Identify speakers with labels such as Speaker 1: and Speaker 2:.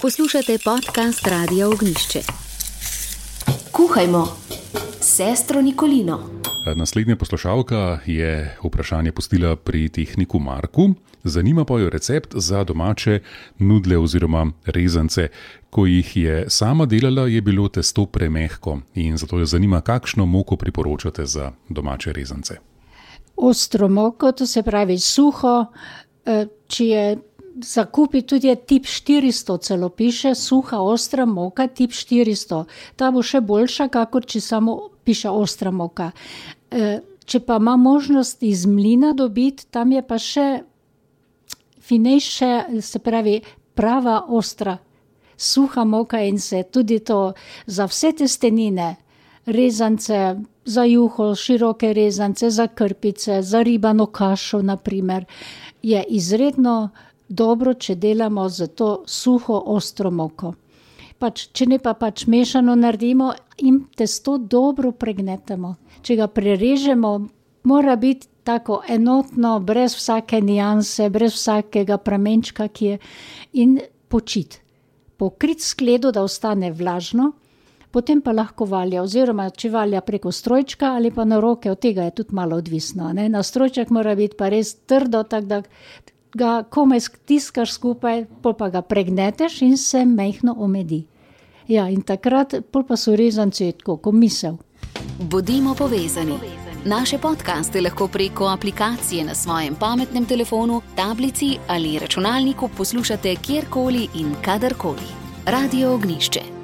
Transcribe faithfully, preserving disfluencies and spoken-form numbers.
Speaker 1: Poslušate podcast Radia Ognjišče. Kuhajmo s sestro Nikolino.
Speaker 2: Naslednja poslušalka je vprašanje pustila pri tehniku Marku. Zanima pa jo recept za domače nudle oziroma rezance. Ko jih je sama delala, je bilo testo premehko in zato jo zanima, kakšno moko priporočate za domače rezance.
Speaker 3: Ostro moko, to se pravi suho, če je za kupi tudi je tip štiristo, celo piše, suha, ostra moka, tip štiristo. Ta bo še boljša, kakor če samo piše ostra moka. Če pa ima možnost iz mlina dobiti, tam je pa še finejše, se pravi prava ostra, suha moka in se tudi to za vse testenine, rezance, za juho, široke rezance, za krpice, za ribano kašo, naprimer, je izredno dobro, če delamo za to suho, ostro moko. Pač, če ne pa pač mešano naredimo in testo dobro pregnetemo. Če ga prerežemo, mora biti tako enotno, brez vsake nijanse, brez vsakega pramenčka, ki je, in počit. Pokrit skledo, da ostane vlažno, potem pa lahko valja, oziroma če valja preko strojčka ali pa na roke, od tega je tudi malo odvisno. Ne? Na strojček mora biti pa res trdo, tako da ga komaj stiskaš skupaj, pol pa ga pregneteš in se mehno omedi. Ja, in takrat pol pa so rezanci tako, ko misel.
Speaker 1: Bodimo povezani. Naše podcaste lahko preko aplikacije na svojem pametnem telefonu, tablici ali računalniku poslušate kjerkoli in kadarkoli. Radio Ognjišče.